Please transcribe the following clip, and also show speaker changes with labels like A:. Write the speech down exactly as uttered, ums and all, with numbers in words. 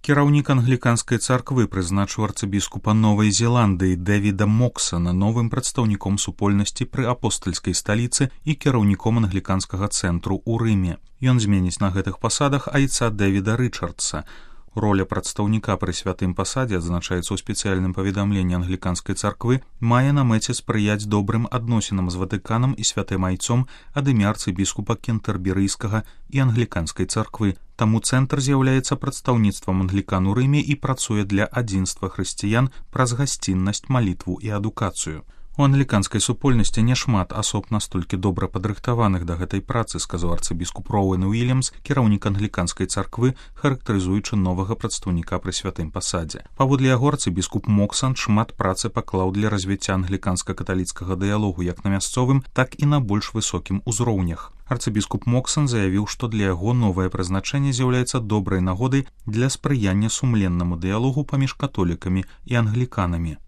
A: Кіраўнік англіканскай царквы прызначыў арцыбіскупа Новай Зеландыі Дэвіда Моксана новым прадстаўніком супольнасці пры апостальскай сталіцы і кіраўніком англіканскага цэнтру ў Рыме. Ён зменіць на гэтых пасадах айца Дэвіда Рычардса. Роля прадстаўніка пры святым пасадзе, адзначаецца ў спецыяльным паведамленні англіканскай царквы, мае на мэце спрыяць добрым адносінам з Ватыканам і святым айцом ад імя арцыбіскупа кентэрберыйскага і англіканскай царквы. Таму цэнтр з'яўляецца прадстаўніцтвам англікан у Рыме і працуе для адзінства хрысціян праз гасціннасць, малітву і адукацыю. У англіканскай супольнасці няшмат асоб настолькі добра падрыхтаваных да гэтай працы, сказаў арцыбіскуп Роуэн Уільямс, кіраўнік англіканскай царквы, характарызуючы новага прадстаўніка пры святым пасадзе. Паводле яго арцыбіскуп Моксан шмат працы паклаў для развіцця англіканска-каталіцкага дыялогу як на мясцовым, так і на больш высокім узроўнях. Арцыбіскуп Моксан заявіў, што для яго новае прызначэнне з'яўляецца добрай нагодай для спрыяння сумленнаму дыялогу паміж католікамі і англіканамі.